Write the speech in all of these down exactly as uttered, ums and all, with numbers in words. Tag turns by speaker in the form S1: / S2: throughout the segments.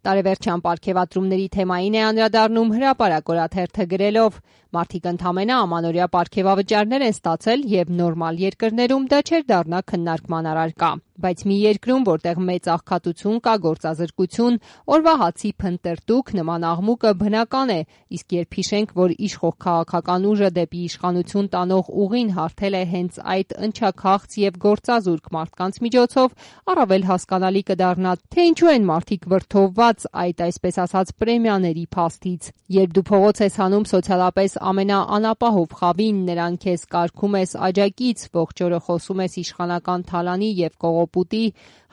S1: Տարեվերջյան պարգևատրումների թեմային է անդրադառնում Հրապարակ օրաթերթը գրելով. «Մարդիկ ընդամենը ամանորյա պարգևավճարներ են ստացել եւ նորմալ երկրներում դա չէր դառնա քննարկման առարկա, բայց մի երկրում, որտեղ մեծ աղքատություն կա, գործազրկություն, օրվա հացի փնտրտուք, նման աղմուկը բնական է, իսկ երբ հիշենք, որ իշխող քաղաքական ուժը դեպի իշխանություն տանող ուղին հարթել է հենց այդ ընչաքաղց եւ գործազուրկ մարդկանց միջոցով, առավել հասկանալի կդառնա, թե ինչու են մարդիկ վրդովված այդ այսպես ասած պրեմիաների փաստից։ Երբ դու փողոց ես հանում սոցիալապես ամենաանապահով խավին, նրան քեզ կարգում ես աջակից, ողջ օրը խոսում ես իշխանական թալանի եւ կողոպուտի,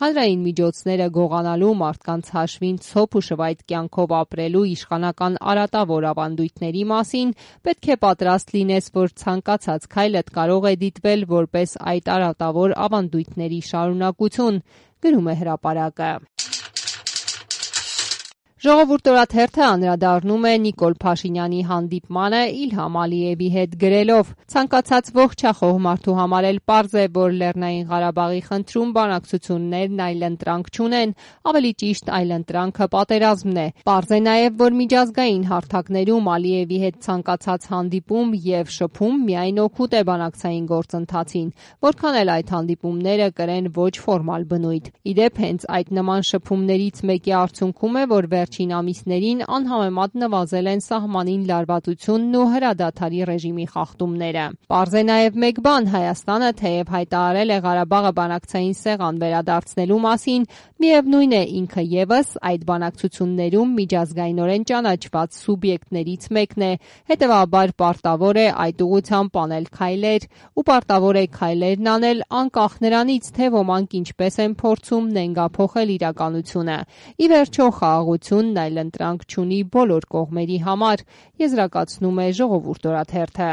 S1: հանրային միջոցները գողանալու, մարդկանց հաշվին ցոփ ու շվայտ կյանքով ապրելու իշխանական արատավոր ավանդույթների մասին, պետք է պատրաստ լինես, որ ցանկացած քայլդ կարող է դիտվել որպես այդ արատավոր ավանդույթների շարունակություն», գրում է Հրապարակը։ Ժողովուրդ օրաթերթը անդրադառնում է Նիկոլ Փաշինյանի հանդիպմանը Իլհամ Ալիևի հետ գրելով. «Ցանկացած ողջախոհ մարդու համար էլ պարզ է, որ Լեռնային Ղարաբաղի խնդրում բանակցություններն այլընտրանք չունեն, ավելի ճիշտ այլընտրանքը պատերազմն է։ Պարզ է նաև, որ միջազգային հարթակներում Ալիևի հետ ցանկացած հանդիպում եւ շփում միայն օգուտ է բանակցային գործընթացին, որքան էլ այդ հանդիպումները կրեն ոչ ֆորմալ բնույթ։ Իդեպ հենց այդ նման շփումներից մեկի արդյունքում է, որ վերջին ամիսներին անհամեմատ նվազել են սահմանին լարվածությունն ու հրադադարի ռեժիմի խախտումները։ Պարզ է նաև մեկ բան՝ Հայաստանը թեև հայտարարել է Ղարաբաղը բանակցային սեղան վերադարձնելու մասին, միևնույն է ինքը ևս այդ բանակցություններում միջազգայինորեն ճանաչված սուբյեկտներից մեկն է, հետևաբար պարտավոր է այդ ուղղությամբ անել քայլեր ու պարտավոր է քայլերն անել անկախ նրանից, թե ոմանք ինչպես են փորձում նենգափոխել իրականությունը։ Ի վերջո խաղաղությունն այլընտրանք չունի բոլոր կողմերի համար», եզրակացնում է Ժողովուրդ օրաթերթը։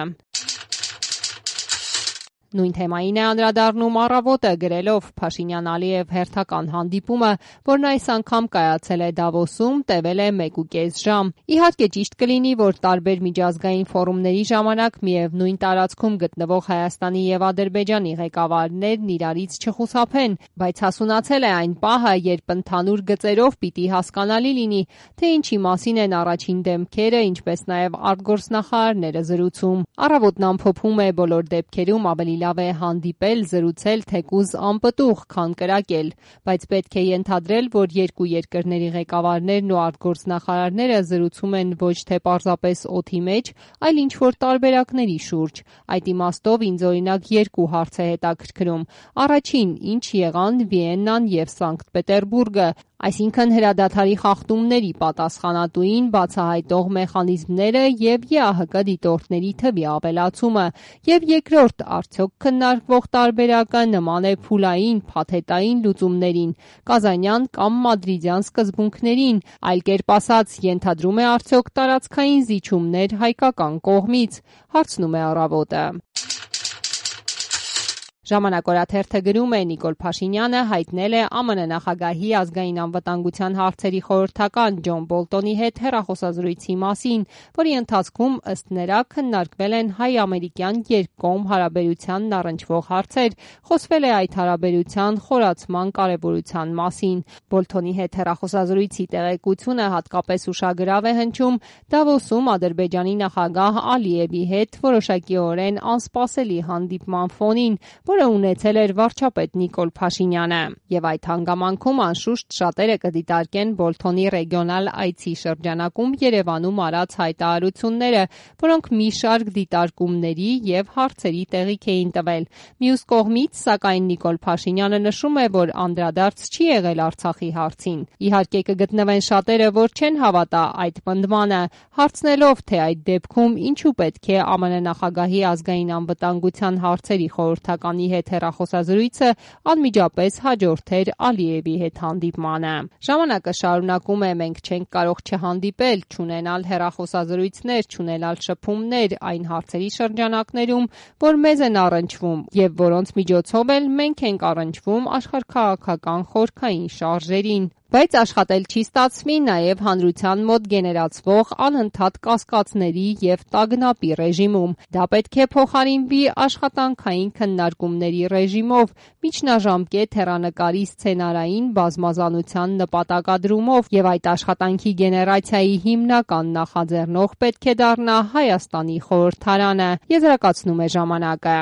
S1: Նույն թեմային է անդրադառնում Առավոտը գրելով. «Փաշինյան-Ալիև հերթական հանդիպումը, որն այս անգամ կայացել է Դավոսում, տևել է մեկուկես ժամ։ Իհարկե ճիշտ կլինի, որ տարբեր միջազգային ֆորումների ժամանակ միևնույն տարածքում գտնվող Հայաստանի եւ Ադրբեջանի ղեկավարներն իրարից չխուսափեն, բայց հասունացել է այն պահը, երբ ընդհանուր գծերով պիտի հասկանալի լինի, թե ինչի մասին են առաջին դեմքերը, ինչպես նաեւ արտգործնախարարները զրուցում։ Առավոտն ամփոփում է բոլոր դեպքերում ավելի լավ է հանդիպել, զրուցել թեկուզ անպտուղ, քան կրակել, բայց պետք է ենթադրել, որ երկու երկրների ղեկավարներն ու արտգործնախարարները զրուցում են ոչ թե պարզապես օդի մեջ, այլ ինչ-որ տարբերակների շուրջ։ Այդ իմաստով ինձ օրինակ երկու հարց է հետաքրքրում. առաջին, ինչ եղան Վիեննան եւ Սանկտ Պետերբուրգը, այսինքն հրադադարի խախտումների պատասխանատուին բացահայտող մեխանիզմները եւ ԵԱՀԿ դիտորդների թվի ավելացումը, եւ երկրորդ, արդյոք քննարկվող տարբերակը նման է փուլային, փաթեթային լուծումներին, կազանյան կամ մադրիդյան սկզբունքներին, այլ կերպ ասած, ենթադրում է արդյոք տարածքային զիջումներ հայկական կողմից», հարցնում է Առավոտը։ Ժամանակ օրաթերթը գրում է. «Նիկոլ Փաշինյանը հայտնել է ԱՄՆ նախագահի ազգային անվտանգության հարցերի խորհրդական Ջոն Բոլտոնի հետ հեռախոսազրույցի մասին, որի ընթացքում ըստ նրա քննարկվել են հայ-ամերիկյան երկկողմ հարաբերությանն առնչվող հարցեր, խոսվել է այդ հարաբերության խորացման կարևորության մասին։ Բոլթոնի հետ հեռախոսազրույցի տեղեկությունը հատկապես ուշագրավ է հնչում Դավոսում Ադրբեջանի նախագահ Ալիևի հետ որոշակիորեն անսպասելի հանդիպման ֆոնին, որը ունեցել էր վարչապետ Նիկոլ Փաշինյանը։ Եվ այդ հանգամանքում անշուշտ շատերը կդիտարկեն Բոլթոնի ռեգիոնալ այցի շրջանակում Երևանում արած հայտարարությունները, որոնք մի շարք դիտարկումների եւ հարցերի տեղիք էին տվել։ Մյուս կողմից, սակայն Նիկոլ Փաշինյանը նշում է, որ անդրադարձ չի եղել Արցախի հարցին։ Իհարկե կգտնվեն շատերը, որ չեն հավատա այդ պնդմանը, հարցնելով, թե այդ դեպքում ինչու պետք է ԱՄՆ նախագահի ազգային անվտանգության հարցերի խորհրդականի հետ հեռախոսազրույցը անմիջապես հաջորդեր Ալիևի հետ հանդիպմանը։ Ժամանակը շարունակում է. «Մենք չենք կարող չհանդիպել, չունենալ հեռախոսազրույցներ, չունենալ շփումներ այն հարցերի շրջանակներում, որ մեզ են առնչվում եւ որոնց միջոցով էլ մենք ենք առնչվում աշխարհաքաղաքական խորքային շարժերին», Բայց աշխատել չի ստացվի նաև հանրության մոտ գեներացվող անընդհատ կասկածների և տագնապի ռեժիմում։ Դա պետք է փոխարինվի աշխատանքային քննարկումների ռեժիմով, միջնաժամկետ հեռանկարի սցենարային բազմազանության նպատակադրումով, և այդ աշխատանքի գեներացիայի հիմնական նախաձեռնող պետք է դառնա Հայաստանի խորհրդարանը, եզրակացնում է «Ժամանակ»-ը։